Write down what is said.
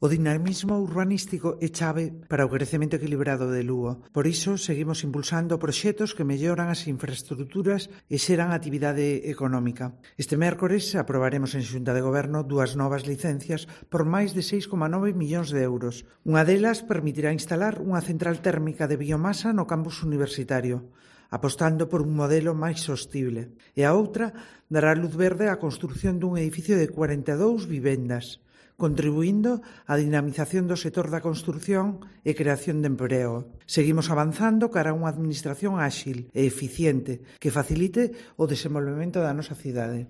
O dinamismo urbanístico é chave para o crecemento equilibrado de Lugo. Por iso, seguimos impulsando proxectos que melloran as infraestruturas e xeran actividade económica. Este mércores aprobaremos en Xunta de Goberno 2 novas licencias por máis de 6,9 millóns de euros. Unha delas permitirá instalar unha central térmica de biomasa no campus universitario, apostando por un modelo máis sostible. E a outra dará luz verde á construción dun edificio de 42 vivendas, contribuindo á dinamización do sector da construción e creación de emprego. Seguimos avanzando cara a unha administración áxil e eficiente que facilite o desenvolvemento da nosa cidade.